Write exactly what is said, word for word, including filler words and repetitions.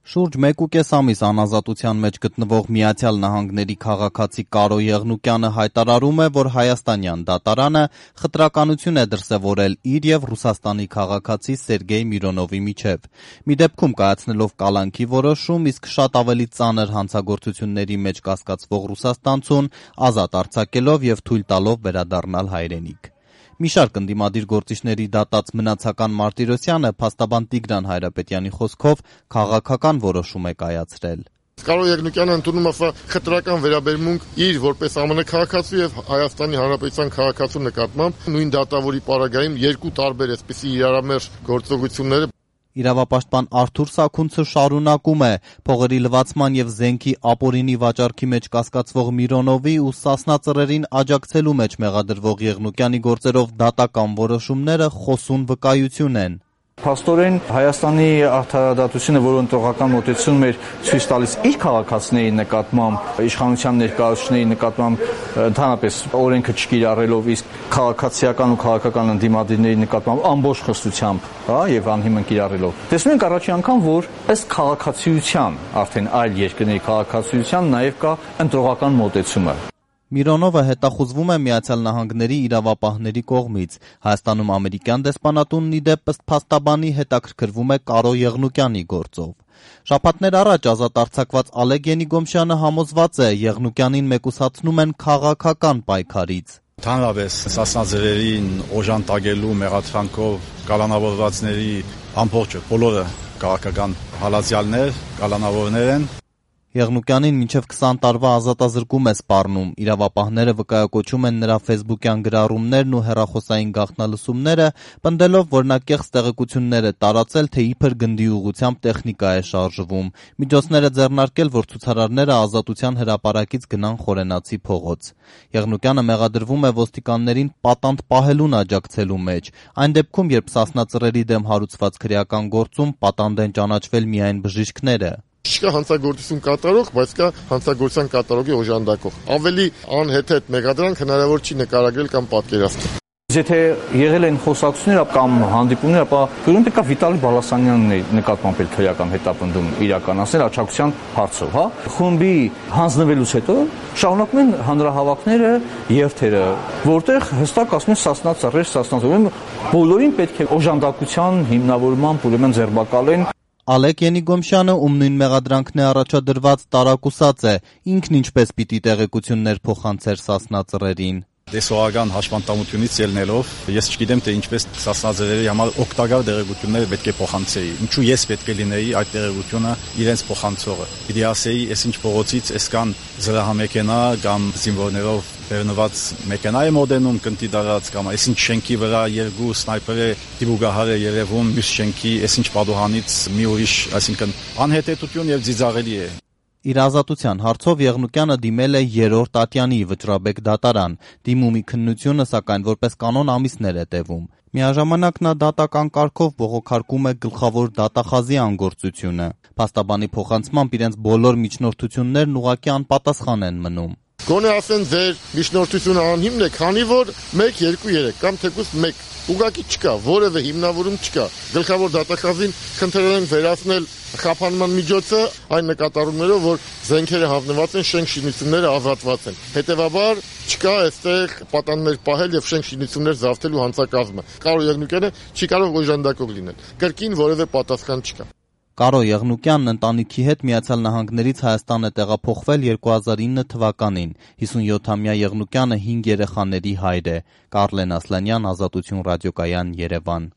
Շուրջ մեկ ու կես ամիս անազատության մեջ գտնվող Միացյալ Նահանգների քաղաքացի Կարո Եղնուկյանը հայտարարում է, որ հայաստանյան դատարանը խտրականություն է դրսևորել իր եւ Ռուսաստանի քաղաքացի Սերգեյ Միրոնովի միջեւ։ Մի դեպքում կայացնելով կալանքի որոշում, իսկ շատ ավելի ծանր հանցագործությունների մեջ կասկածվող ռուսաստանցուն ազատ արձակելով եւ թույլ տալով վերադառնալ հայրենիք։ Մի շարք ընդդիմադիր գործիչների դատած Մնացական Մարտիրոսյանը փաստաբան Տիգրան Հայրապետյանի խոսքով քաղաքական որոշում է կայացրել։ Կարո Եղնուկյանը ընդունում է խտրական վերաբերմունք իր որպես ԱՄՆ քաղաքացու եւ Հայաստանի Հանրապետության քաղաքացու նկատմամբ նույն դատավորի պարագայում երկու տարբեր էսպիսի իրարամերժ գործողությունները։ Իրավապաշտպան Արթուր Սաքունցը շարունակում է փողերի լվացման եւ զենքի ապօրինի վաճառքի մեջ կասկածվող Միրոնովի ու Սասնա ծռերին աջակցելու մեջ մեղադրվող Եղնուկյանի գործերով դատական որոշումները խոսուն վկայություն են։ Փաստորեն Հայաստանի արդարադատությունը, որը ընտրողական մոտեցում էր ցույց տալիս իր քաղաքացիների նկատմամբ, իշխանության ներկայացուցիչների նկատմամբ ընդհանրապես օրենքը չկիրառելով, իսկ քաղաքացիական ու քաղաքական ընդդիմադիրների նկատմամբ ամբողջ խստությամբ, հա, եւ անհիմն կիրառելով։ Տեսնում ենք առաջին անգամ, որ ըստ քաղաքացիության, արդեն այլ երկրների քաղաքացիության նաեւ կա ընտրողական մոտեցումը։ Միրոնովը հետախուզվում է Միացյալ Նահանգների իրավապահների կողմից։ Հայաստանում ամերիկյան դեսպանատունն ի դեպ ըստ փաստաբանի հետաքրքրվում է Կարո Եղնուկյանի գործով։ Շաբաթներ առաջ ազատ արձակված Ալեկ Ենիգոմշյանը համոզված է, Եղնուկյանին մեկուսացնում են քաղաքական պայքարից։ Ընդհանրապես Սասնա ծռերին օժանդակելու մեղադրանքով կալանավորվածների ամբողջը բոլորը քաղաքական հալածյալներ, կալանավորներ են։ Եղնուկյանին մինչև քսան տարվա ազատազրկում է սպառնում։ Իրավապահները վկայակոչում են նրա ֆեյսբուքյան գրառումներն ու հեռախոսային գաղտնալսումները, պնդելով, որ նա կեղծ տեղեկություններ է տարածել, թե իբր գնդի ուղղությամբ տեխնիկա է շարժվում։ Միջոցներ է ձեռնարկել, որ ցուցարարները Ազատության հրապարակից գնան Խորենացի փողոց։ Եղնուկյանը մեղադրվում է ոստիկաններին պատանդ պահելուն աջակցելու մեջ։ Այն դեպքում, երբ Սասնա ծռերի դեմ հարուցված քրեական գործում պատանդ են ճանաչվել միայն բժիշկները։ Չկա հանցագործություն կատարող, բայց կա հանցագործության կատարողի օժանդակող։ Ավելի անհեթեթ մեղադրանք հնարավոր չի նկարագրել կամ պատկերացնել։ Եթե եղել են խոսակցություններ կամ հանդիպումներ, ապա գույն պետք է Վիտալի Բալասանյանն նկատմամբ էլ քրեական հետապնդում իրականացնել աջակցության հարցով, հա։ Խումբի հանձնվելուց հետո շարունակում են հանրահավաքները, երթերը, որտեղ հստակ ասում են Սասնա ծռեր, Սասնա ծռեր, բոլորին պետք է օժանդակության հիմնավորման ուրեմն ձերբակալեն։ Ալեկ Ենիգոմշյանը, ում նույն մեղադրանքն է առաջադրված, տարակուսած է, ինքն ինչպես պիտի տեղեկություններ փոխանցեր Սասնա ծռերին։ Դեսողական հաշվանդամությունից ելնելով, ես չգիտեմ, թե ինչպես Սասնա ծռերի համար օգտակար տեղեկությունները պետք է փոխանցեի։ Ինչու ես պետք է լինեի այդ տեղեկությունը իրենց փոխանցողը։ Պիտի ասեի, ես ինչ փողոցից էսքան զրահամեքենա կամ զինվորներով բեռնված մեքենա է մոդենում կնտի դարած կամ այսինչ շենքի վրա երկու սնայպերը դիբուգահար է երևում, մյուս շենքի այսինչ պատուհանից մի ուրիշ, այսինքն անհետեթություն եւ ձիծաղելի է։ Իր ազատության հարցով Եղնուկյանը դիմել է երրորդ ատյանի Վճռաբեկ դատարան։ Դիմումի քննությունը, սակայն որպես կանոն ամիսներ է տևում։ Միաժամանակ նա դատական կարգով բողոքարկում է գլխավոր դատախազի անգործությունը։ Փաստաբանի փոխանցմամբ իրենց բոլոր միջնորդություններն ուղղակի անպատասխան են մնում։ Գոնե ասեն ձեր միջնորդությունը անհիմն է, քանի որ մեկ, երկու, երեք կամ թեկուզ մեկ ուղղակի չկա, որևէ հիմնավորում չկա։ Գլխավոր դատախազին խնդրել են վերացնել խափանման միջոցը այն նկատառումներով, որ զենքերը հանձնված են, շենք շինությունները ազատված են։ Հետևաբար չկա այստեղ պատաններ պահել եւ շենք շինություններ զավթելու հանցակազմը։ Կարո Եղնուկյանը չի կարող օժանդակող լինել։ Կրկին որևէ պատասխան չկա։ Կարո Եղնուկյանն ընտանիքի հետ Միացյալ Նահանգներից Հայաստան է տեղափոխվել երկու հազար ինը թվականին։ հիսունյոթամյա Եղնուկյանը հինգ երեխաների հայր է։ Կարլեն Ասլանյան, Ազատություն ռադիոկայան, Երևան։